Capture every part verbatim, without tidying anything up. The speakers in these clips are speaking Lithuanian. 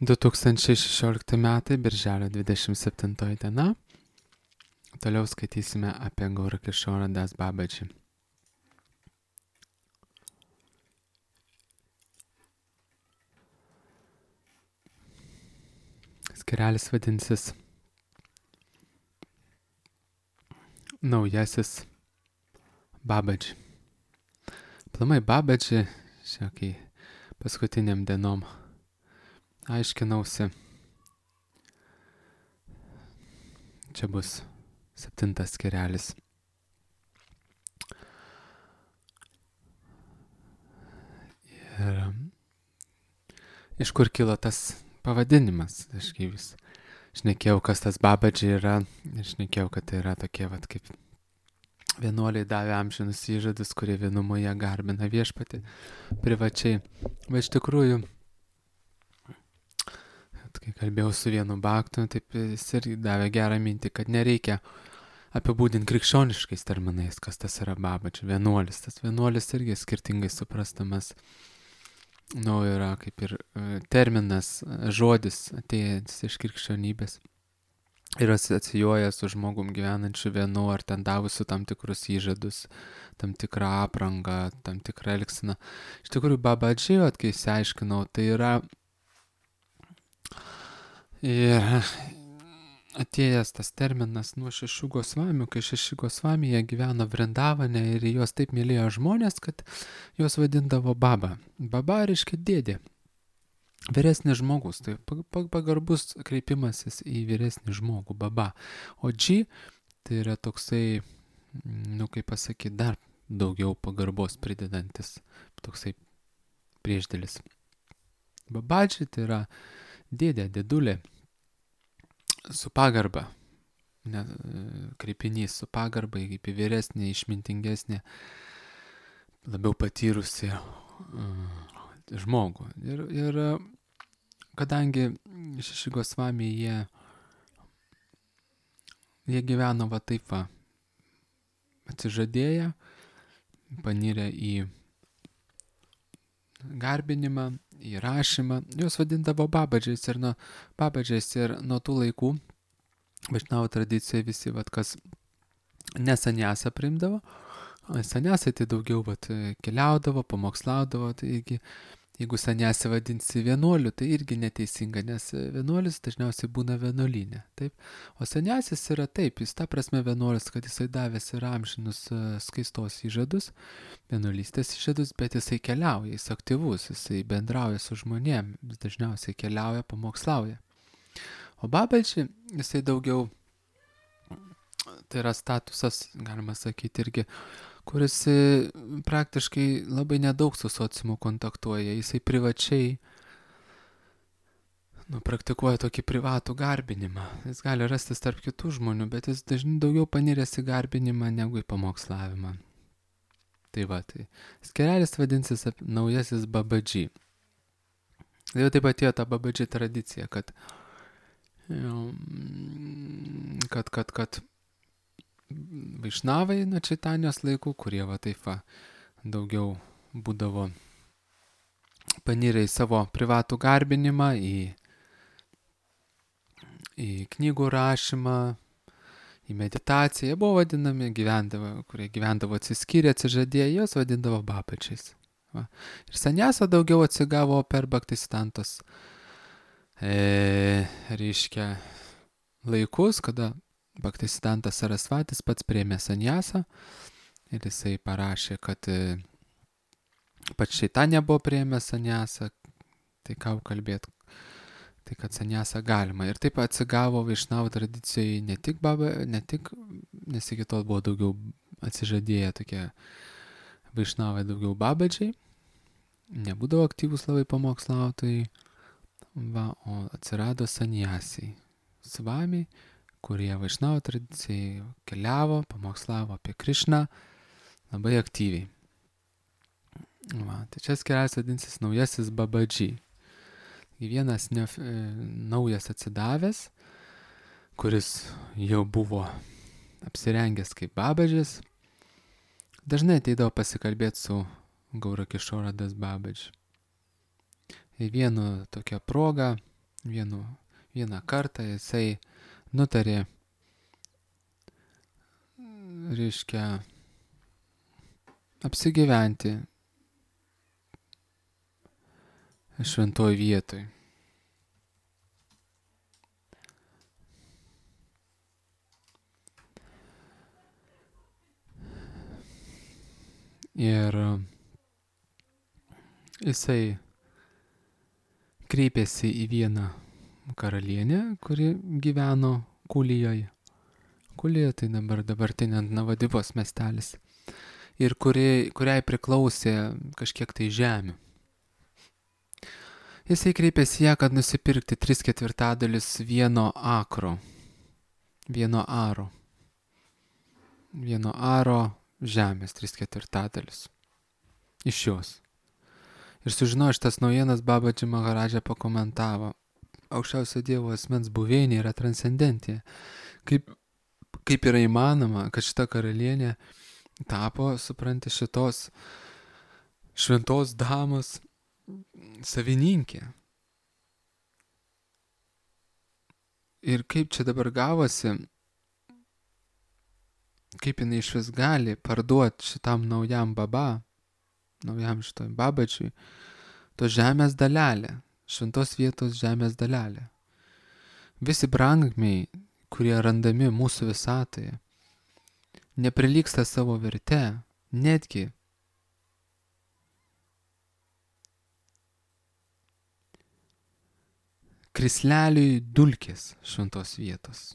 du tūkstančiai šešiolikti metai, birželio dvidešimt septintoji diena. Toliau skaitysime apie Gaurakišorą Das Babaji. Skirelis vadinsis Naujasis Babaji. Plamai Babaji, šiokiai paskutiniam dienom aiškinausi. Čia bus septintas skirelis. Ir iš kur kilo tas pavadinimas? Aš kai vis šnekėjau, kas tas Babaji yra, šnekėjau, kad tai yra tokie, vat, kaip vienuoliai davė amžinus įžadus, kurie vienumoje garbina viešpatį privačiai. Bet iš tikrųjų, kai kalbėjau su vienu baktu, taip jis irgi davė gerą mintį, kad nereikia apibūdinti krikščioniškais terminais, kas tas yra Babaji, vienuolis. Tas vienuolis irgi skirtingai suprastamas. Nu, yra kaip ir terminas, žodis atėjęs iš krikščionybės. Ir asocijuoja su žmogum gyvenančiu vienu, ar ten davusiu tam tikrus įžadus, tam tikrą aprangą, tam tikrą elgseną. Iš tikrųjų, Babaji, kai išsiaiškinau, tai yra ir atėjęs tas terminas nuo šešių Gosvamių, kai šeši Gosvamija gyveno Vrindavane ir juos taip mylėjo žmonės, kad juos vadindavo Baba. Baba reiškia dėdė, vyresnis žmogus, tai pagarbus kreipimasis į vyresnį žmogų, Baba. O Dži tai yra toksai, nu kaip pasakyti, dar daugiau pagarbos pridedantis, toksai priešdėlis. Babaji tai yra dėdė, dėdulė, su pagarba, ne, kreipinys su pagarba, kaip į vyresnį, išmintingesnį, labiau patyrusi uh, žmogų. Ir, ir kadangi šeši Gosvamiai, jie, jie gyveno va taip va, atsižadėję, panirę į garbinimą, į rašymą, juos vadindavo Babadžiais ir nuo Babadžiais ir nuo tų laikų Vaišnavų tradicijoje visi, vat, kas ne saniasą priimdavo, saniasai tai daugiau vat, keliaudavo, pamokslaudavo, tai irgi, jeigu saniasą vadinsi vienuoliu, tai irgi neteisinga, nes vienuolis dažniausiai būna vienuolinė, taip, o saniasis yra taip, jis ta prasme vienuolis, kad jisai davęs yra amžinus skaistos įžadus, vienuolystės įžadus, bet jisai keliauja, jis aktyvus, jisai bendrauja su žmonėm, jis dažniausiai keliauja, pamokslauja. O Babaji, jisai daugiau, tai yra statusas, galima sakyti, irgi, kuris praktiškai labai nedaug su sociumu kontaktuoja, jisai privačiai nu, praktikuoja tokį privatų garbinimą. Jis gali rastis tarp kitų žmonių, bet jis dažnai daugiau paniręs į garbinimą negu į pamokslavimą. Tai va, tai skirelis vadinsis Naujasis Babaji. Tai jau taip atėjo ta Babaji tradicija, kad kad, kad, kad Vaišnavai nuo Čaitanijos laikų, kurie va taip va daugiau būdavo panirę į savo privatų garbinimą, į, į knygų rašymą, į meditaciją, jie buvo vadinami, gyvendavo, kurie gyvendavo atsiskyrę, atsižadėję, jos vadindavo Babadžiais. Va. Ir saniasa daugiau atsigavo per Bhaktisiddhantos e, reiškia laikus, kada Bhaktisiddhantas Sarasvatis pats priėmė saniasą ir jisai parašė, kad pats Čaitanija buvo priėmė saniasą, tai ką kalbėt, tai kad saniasą galima. Ir taip atsigavo Vaišnavų tradicijai ne tik baba, ne tik, nes iki tol buvo daugiau atsižadėję tokie Vaišnavai, daugiau Babadžiai, nebūdavo aktyvus labai pamokslautojai, va, o atsirado saniasiai, svamiai, kurie Vaišnavų tradicijai keliavo, pamokslavo apie Krišną labai aktyviai. Va, tai čia skirelis vadinsis Naujasis Babaji. Vienas ne, naujas atsidavęs, kuris jau buvo apsirengęs kaip Babadžis, dažnai ateidavo pasikalbėti su Gaurakišora Das Babaji. Ir vienu tokia proga vienu, vieną kartą jisai nutarė, reiškia, apsigyventi šventoj vietoj. Ir jisai kreipėsi į vieną karalienę, kuri gyveno Kulijoje. Kulija tai dabar dabartinė Navadivos miestelis. Ir kuri, kuriai priklausė kažkiek tai žemių. Jisai kreipėsi ją, kad nusipirkti tris ketvirtadalis vieno akro. Vieno aro. Vieno aro žemės, tris ketvirtadalis. Iš jos. Ir sužinojo šitas naujienas, Babadži Maharadža pakomentavo. Aukščiausio Dievo asmens buveinė yra transcendentė. Kaip, kaip yra įmanoma, kad šita karalienė tapo, supranti, šitos šventos damos savininkė. Ir kaip čia dabar gavosi, kaip jinai iš vis gali parduoti šitam naujam baba, naujam šitoj Babadžiui, to žemės dalelę, šventos vietos žemės dalelę. Visi brangakmeniai, kurie randami mūsų visatoje, neprilygsta savo verte, netgi krisleliui dulkės šventos vietos.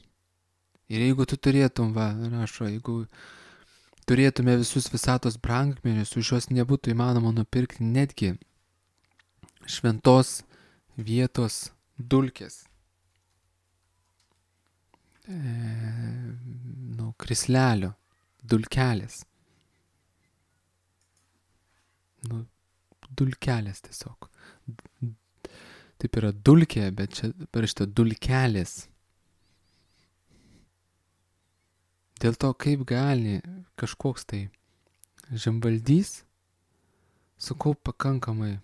Ir jeigu tu turėtum, va, rašo, jeigu turėtume visus visatos brangakmenius, už juos nebūtų įmanoma nupirkti netgi šventos vietos dulkės. E, nu, krislelio, dulkelės. Nu, dulkelės tiesiog. Taip yra dulkė, bet čia parašyta dulkelės. Dėl to, kaip gali kažkoks tai žemvaldys sukaupt pakankamai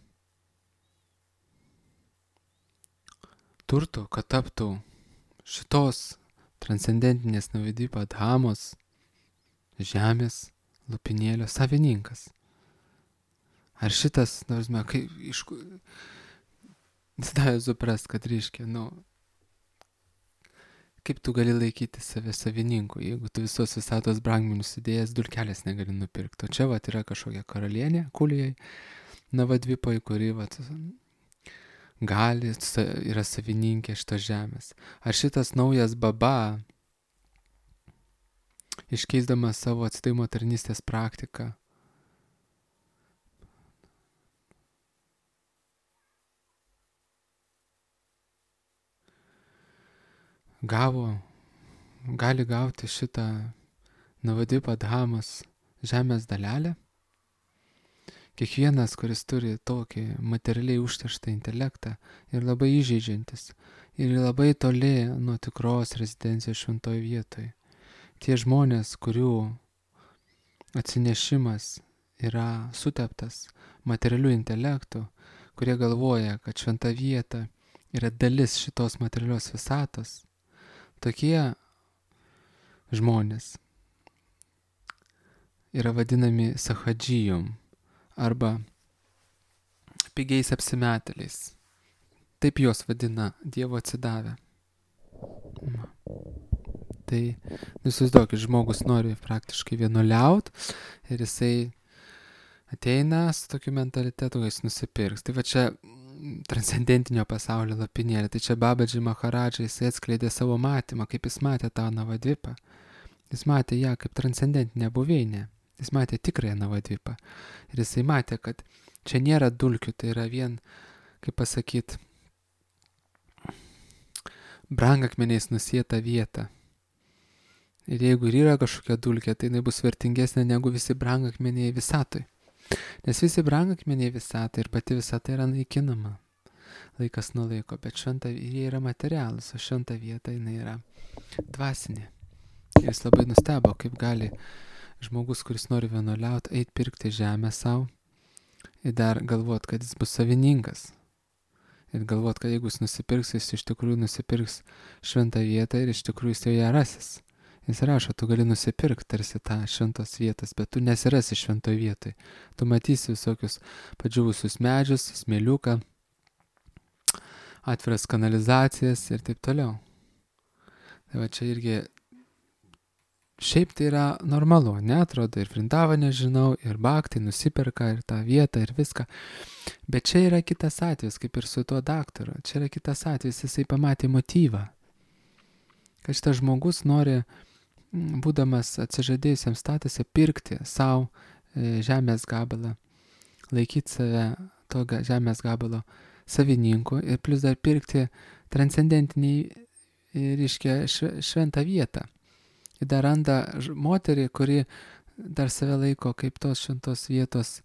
turto, kad taptų šitos transcendentinės Navadipa Dhamos žemės lopinėlio savininkas. Ar šitas, nors mes, kaip iš... Jis davė suprast, kad reiškia, nu, kaip tu gali laikyti save savininku, jeigu tu visos visatos brangakmenius įdėjęs dulkelės negali nupirkti. O čia vat yra kažkokia karalienė Kulijai, Navadvipoj, kuri vat gali, yra savininkė šitos žemės. Ar šitas naujas baba, iškeisdamas savo atsidavimo tarnystės praktiką, gavo, gali gauti šitą Navadipa Dhamos žemės dalelę? Kiekvienas, kuris turi tokį materialiai užterštą intelektą ir labai įžeidžiantis ir labai toli nuo tikros rezidencijos šventoje vietoje. Tie žmonės, kurių atsinešimas yra suteptas materialiu intelektu, kurie galvoja, kad šventa vieta yra dalis šitos materialios visatos, tokie žmonės yra vadinami sahadžijom arba pigiais apsimetėliais. Taip juos vadina Dievo atsidavę. Tai, įsivaizduokit, žmogus nori praktiškai vienuoliaut ir jisai ateina su tokiu mentalitetu, kad jis nusipirks. Tai va čia transcendentinio pasaulio lopinėlė. Tai čia Babadži Maharadža, jisai atskleidė savo matymą, kaip jis matė tą Navadvipą. Jis matė ją kaip transcendentinę buveinę. Jis matė tikrąją Navadvipą. Ir jisai matė, kad čia nėra dulkių, tai yra vien, kaip pasakyt, brangakmeniais nusieta vieta. Ir jeigu ir yra kažkokia dulkė, tai jinai bus vertingesnė negu visi brangakmeniai visatoj. Nes visi brangakmeniai visatoj ir pati visata yra naikinama laikas nuo laiko, bet šventa, jie yra materialus, o šventa vieta jinai yra dvasinė. Ir jis labai nustebo, kaip gali žmogus, kuris nori vienuoliauti, eit pirkti žemę savo ir dar galvot, kad jis bus savininkas. Ir galvot, kad jeigu jis nusipirks, jis iš tikrųjų nusipirks šventą vietą ir iš tikrųjų jis joje rasis. Jis rašo, tu gali nusipirkti tarsi tą šventos vietas, bet tu nesirasi šventoj vietoj. Tu matysi visokius padžiūvusius medžius, smėliuką, atviras kanalizacijas ir taip toliau. Tai va čia irgi, šiaip tai yra normalu, neatrodo, ir Vrindavane žinau, ir Bhaktai nusiperka ir tą vietą ir viską. Bet čia yra kitas atvejis, kaip ir su tuo daktaru. Čia yra kitas atvejis, jisai pamatė motyvą. Kad šitas žmogus nori, būdamas atsižadėjusiam statuse, pirkti savo žemės gabalą, laikyti save to žemės gabalo savininku ir plus dar pirkti transcendentinį, reiškia, šventą vietą. Ir dar randa moterį, kuri dar save laiko kaip tos šventos vietos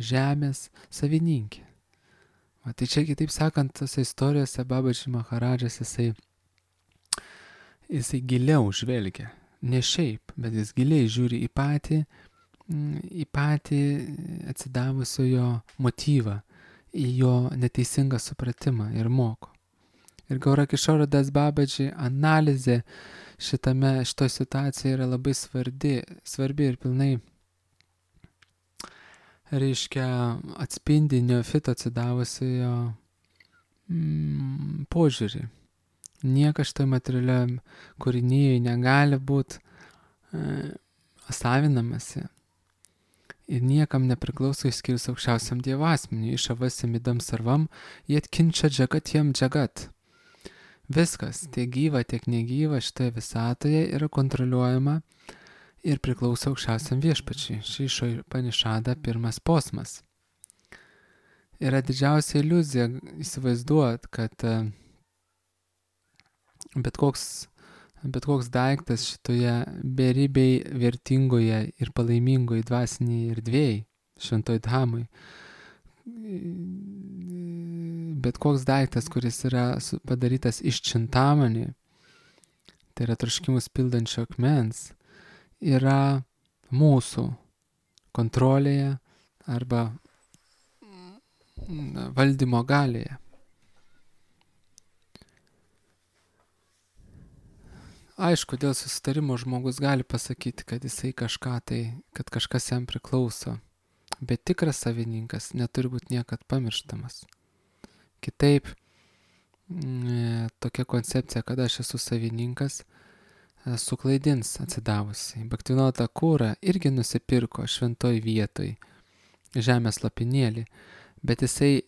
žemės savininkė. Va, tai čia, kitaip sakant, tose istorijose Babaji Maharadžas jisai jisai giliau žvelgia. Ne šiaip, bet jis giliai žiūri į patį, į patį atsidavusiojo motyvą, į jo neteisingą supratimą ir moko. Ir Gaurakišoro Das Babaji analizė šitame, šitoje situacijoje yra labai svarbi, svarbi ir pilnai, reiškia, atspindi neofito atsidavusiojo mm, požiūrį. Niekas šitoj materialiam kūrinyje negali būti e, savinamasi ir niekam nepriklauso išskyrus aukščiausiam Dievo asmeniui, išavasim idam sarvam, jie atkinčia džagatiem džagat. Viskas, tiek gyva, tiek negyva šitoje visatoje yra kontroliuojama ir priklauso aukščiausiam viešpačiui. Šį Panišada pirmas posmas. Yra didžiausia iliuzija įsivaizduot, kad bet koks, bet koks daiktas šitoje beribiai vertingoje ir palaimingoje dvasinėje erdvėje, šventoj dhamui, bet koks daiktas, kuris yra padarytas iš čintamanį, tai yra troškimus pildančio akmens, yra mūsų kontrolėje arba valdymo galėje. Aišku, dėl susitarimo žmogus gali pasakyti, kad jisai kažką tai, kad kažkas jam priklauso, bet tikras savininkas neturi būti niekad pamirštamas. Kitaip, tokia koncepcija, kad aš esu savininkas, suklaidins atsidavusi. Bhaktivinoda Thakura irgi nusipirko šventoj vietoj žemės lopinėlį, bet jisai,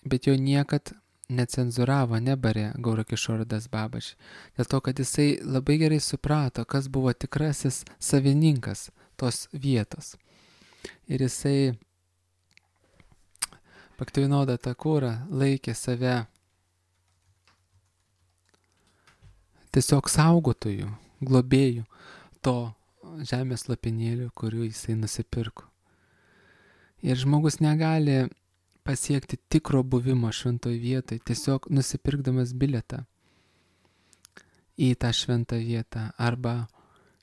bet jo niekad necenzuravo, nebarė Gaurakišoro Das Babaji. Dėl to, kad jisai labai gerai suprato, kas buvo tikrasis savininkas tos vietos. Ir jisai, Bhaktivinoda Thakura, laikė save tiesiog saugotojų, globėjų to žemės lopinėlių, kurių jisai nusipirko. Ir žmogus negali pasiekti tikro buvimo šventoj vietoj, tiesiog nusipirkdamas bilietą į tą šventą vietą arba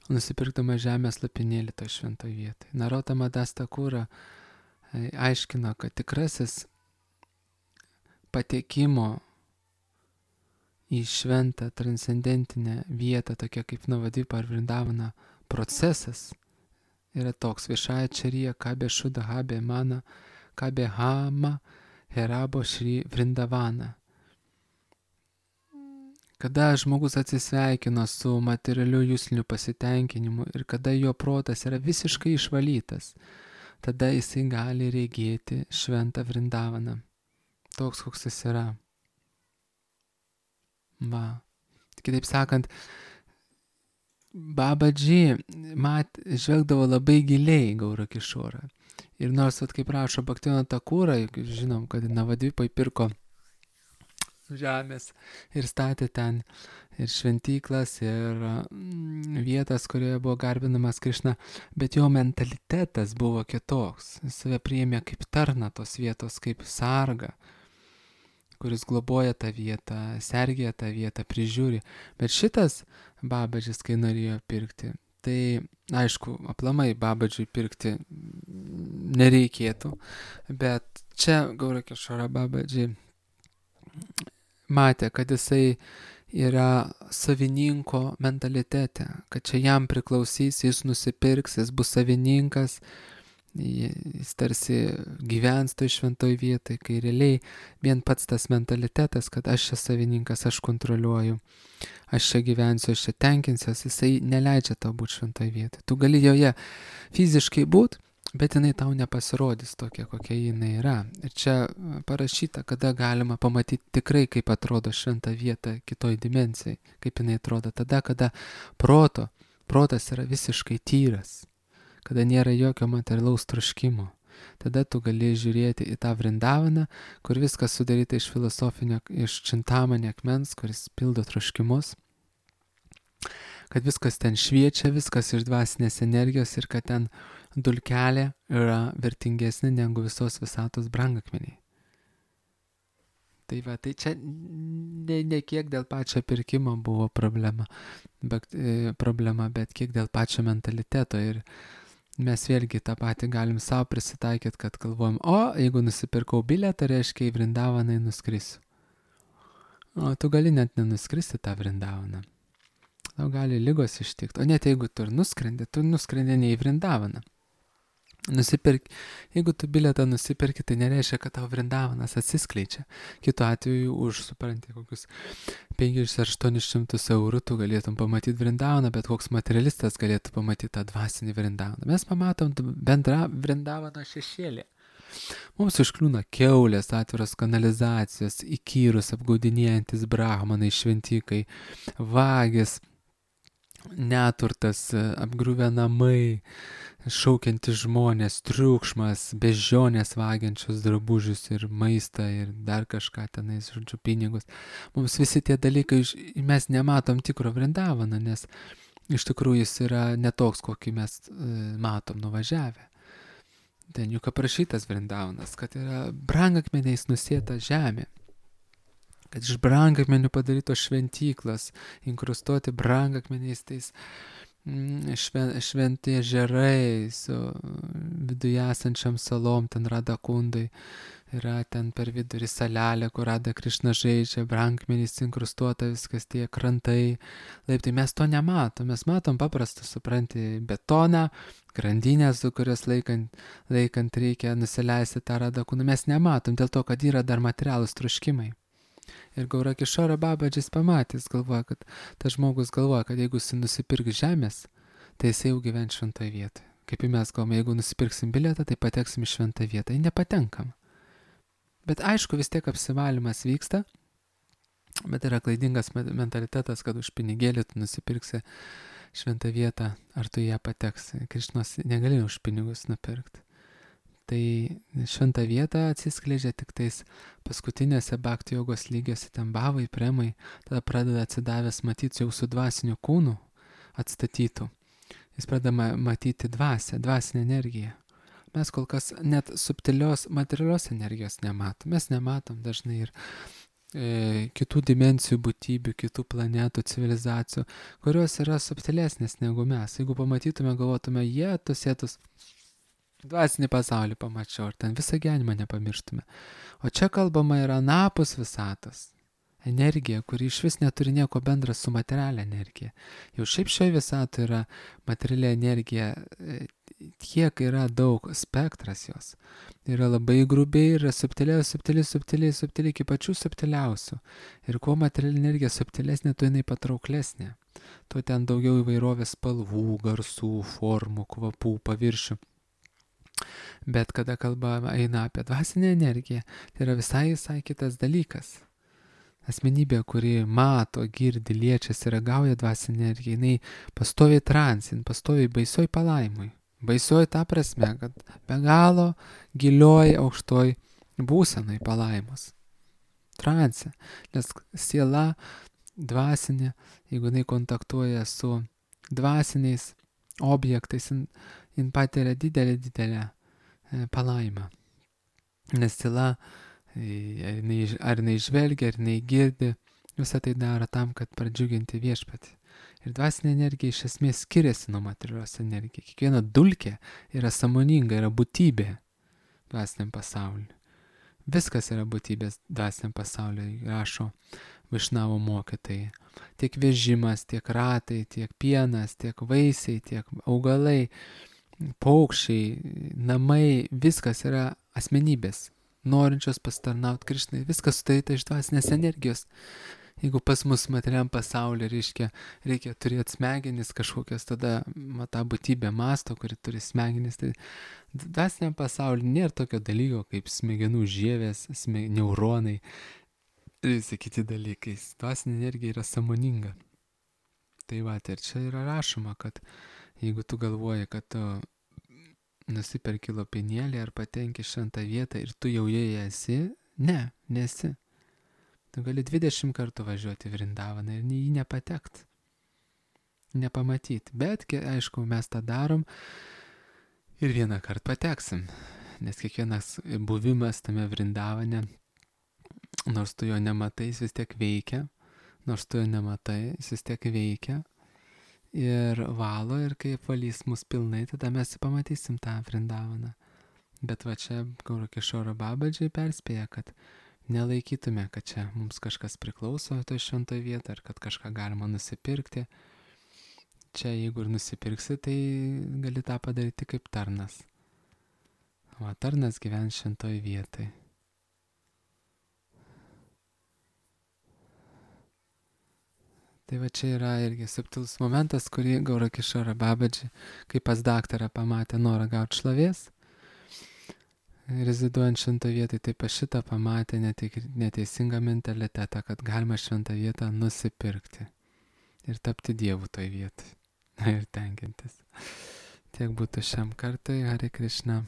nusipirkdamas žemės lopinėlį toj šventoj vietoj. Narottama Das Thakura aiškino, kad tikrasis patekimo į šventą transcendentinę vietą, tokia kaip Navadvipa ar Vrindavana procesas, yra toks: viešąja čarija kabė šuda habė mana kabė hama herabo šri Vrindavana. Kada žmogus atsisveikino su materialiu jusliniu pasitenkinimu ir kada jo protas yra visiškai išvalytas, tada jisai gali regėti šventą Vrindavaną. Toks, koks jis yra. Va. Kitaip sakant, Babaji mat, žvelgdavo labai giliai Gaurakišorą. Ir nors, vat, kaip rašo Bhaktivinoda Thakura, žinom, kad Navadvipai pirko žemės ir statė ten ir šventyklas, ir mm, vietas, kurioje buvo garbinamas Krišna, bet jo mentalitetas buvo kitoks. Jis save priėmė kaip tarną tos vietos, kaip sargą, kuris globoja tą vietą, sergėja tą vietą, prižiūri. Bet šitas Babadžis, kai norėjo pirkti, tai aišku, aplamai Babadžiui pirkti nereikėtų, bet čia Gaurakišoro Babadži matė, kad jisai yra savininko mentalitete, kad čia jam priklausys, jis nusipirks, jis bus savininkas, jis tarsi gyvens toj šventoj vietoj, kai realiai vien pats tas mentalitetas, kad aš čia savininkas, aš kontroliuoju, aš čia gyvensiu, aš čia tenkinsiuos, jisai neleidžia tau būti šventoj vietoj. Tu gali joje fiziškai būti, bet jinai tau nepasirodys tokia, kokia jinai yra. Ir čia parašyta, kada galima pamatyti tikrai, kaip atrodo šventa vieta kitoj dimensijai, kaip jinai atrodo tada, kada proto, protas yra visiškai tyras, kada nėra jokio materialaus troškimo. Tada tu gali žiūrėti į tą Vrindavaną, kur viskas sudaryta iš filosofinio, iš čintamanio akmens, kuris pildo troškimus, kad viskas ten šviečia, viskas iš dvasinės energijos ir kad ten dulkelė yra vertingesnė negu visos visatos brangakmeniai. Tai va, tai čia ne, ne kiek dėl pačio pirkimo buvo problema, bet, e, problema, bet kiek dėl pačio mentaliteto. Ir mes vėlgi tą patį galim savo prisitaikyti, kad galvojam, o jeigu nusipirkau bilietą, reiškia į Vrindavaną nuskrisiu. O tu gali net nenuskristi tą Vrindavaną. Tau gali ligos ištikti. O net jeigu tu ir nuskrendi, tu nuskrendi ne į Vrindavaną. Nusipirk, jeigu tu bilietą nusipirki, tai nereiškia, kad tau Vrindavanas atsiskleidžia. Kitu atveju už, supranti, kokius penkis ar aštuonis šimtus eurų tu galėtum pamatyti Vrindavaną, bet koks materialistas galėtų pamatyti tą dvasinį Vrindavaną. Mes pamatom bendrą Vrindavano šešėlį. Mums užkliūna kiaulės, atviros kanalizacijos, įkyrus, apgaudinėjantis brahmanai, šventikai, vagis, neturtas, apgriuvę namai, šaukiantys žmonės, triukšmas, bežionės vagiančios drabužius ir maistą ir dar kažką tenais, žodžiu, pinigus. Mums visi tie dalykai, mes nematom tikro Vrindavaną, nes iš tikrųjų jis yra netoks, kokį mes matom nuvažiavę. Ten juk aprašytas Vrindavanas, kad yra brangakmeniais nusėta žemė, kad iš brangakmenių padarytos šventyklos, inkrustuoti brangakmeniais tais šven, šventi ežerai su viduje esančiam salom, ten Rada Kundai, yra ten per vidurį salelė, kur Rada Krišna žaidžia, brangakmeniais inkrustuota viskas, tie krantai, laiptai, mes to nematom, mes matom paprastą, supranti, betoną, grandinę, su kurios laikant, laikant reikia nusileisti tą Rada Kundą, mes nematom, dėl to, kad yra dar materialūs troškimai. Ir Gaura Kišora Babadžis pamatys, galvoja, kad tas žmogus galvoja, kad jeigu jis nusipirks žemės, tai jis jau gyvens šventoje vietoje. Kaip ir mes galvome, jeigu nusipirksim bilietą, tai pateksim į šventą vietą. Ir nepatenkam. Bet aišku, vis tiek apsivalymas vyksta, bet yra klaidingas mentalitetas, kad už pinigėlį tu nusipirksi šventą vietą, ar tu ją pateksi. Krišnos negali už pinigus nupirkti. Tai šventą vietą atsiskleidžia tik tais paskutinėse bhakti jogos lygiuose, ten bhavai, premai, tada pradeda atsidavęs matyti jau su dvasiniu kūnu atstatytų. Jis pradeda matyti dvasę, dvasinę energiją. Mes kol kas net subtilios materialios energijos nematom. Mes nematom dažnai ir e, kitų dimensijų būtybių, kitų planetų, civilizacijų, kurios yra subtilesnės negu mes. Jeigu pamatytume, galvotume, jie tus sėtus dvasinį pasaulį pamačiau, ir ten visą gyvenimą nepamirštume. O čia kalbama yra anapus visatos. Energija, kuri iš vis neturi nieko bendra su materialia energija. Jau šiaip šioje visatoje yra materialia energija, tiek yra daug spektras jos. Yra labai grubiai, yra subtiliai, subtiliai, subtiliai, subtiliai, iki pačių subtiliausių. Ir kuo materialia energija subtilesnė, tuo jinai patrauklesnė. Tuo ten daugiau įvairovės spalvų, garsų, formų, kvapų, paviršių. Bet kada kalba eina apie dvasinę energiją, tai yra visai, visai kitas dalykas. Asmenybė, kuri mato, girdi, liečiasi, ragauja dvasinę energiją, jinai pastoviai transin, pastoviai baisioj palaimui. Baisioj ta prasme, kad be galo gilioj aukštoj būsenai palaimos. Transe, nes siela dvasinė, jeigu jinai kontaktuoja su dvasiniais objektais, jin, jin patiria didelę, didelę palaimą. Nes tyla, ar jinai, ar jinai žvelgia, ar jinai girdi, visą tai daro tam, kad pradžiuginti viešpatį. Ir dvasinė energija iš esmės skiriasi nuo materialios energijos. Kiekviena dulkė yra sąmoninga, yra būtybė dvasiniam pasauliu. Viskas yra būtybės dvasiniam pasauliui, rašo Vaišnavo mokytojai. Tiek vežimas, tiek ratai, tiek pienas, tiek vaisiai, tiek augalai, paukščiai, namai, viskas yra asmenybės, norinčios pastarnauti Krišnai, viskas sudaryta iš dvasinės energijos. Jeigu pas mus materialiam pasaulyje, reiškia, reikia turėti smegenis kažkokias, tada ma, ta būtybė masto, kuri turi smegenis, tai dvasiniam pasaulyje nėra tokio dalyko kaip smegenų žievės, sme, neuronai ir visi kiti dalykai. Dvasinė energija yra sąmoninga. Tai va, ir čia yra rašoma, kad jeigu tu galvoji, kad tu nusiperki lopinėlį ar patenki šventą vietą ir tu jau joje esi, ne, nesi. Tu gali dvidešimt kartų važiuoti Vrindavaną ir į jį nepatekt, nepamatyti. Bet, aišku, mes tą darom ir vieną kartą pateksim, nes kiekvienas buvimas tame Vrindavane, nors tu jo nematai, jis vis tiek veikia, nors tu jo nematai, jis vis tiek veikia ir valo, ir kai apvalys mus pilnai, tada mes pamatysim tą Vrindavaną. Bet va čia Gaurakišoro Babadžiai perspėja, kad nelaikytume, kad čia mums kažkas priklauso toj šventoj vietoj, ar kad kažką galima nusipirkti. Čia jeigu ir nusipirksi, tai gali tą padaryti kaip tarnas. O tarnas gyvens šventoj vietoj. Tai va čia yra irgi subtilus momentas, kurį Gaurakišoro Babadžiai, kaip pas daktarą pamatė norą gauti šlovės, reziduojant šventą vietą, taip pas šitą pamatė neteisingą mentalitetą, kad galima šventą vietą nusipirkti ir tapti dievu toj vietoj ir tenkintis. Tiek būtų šiam kartui. Hare Krishna.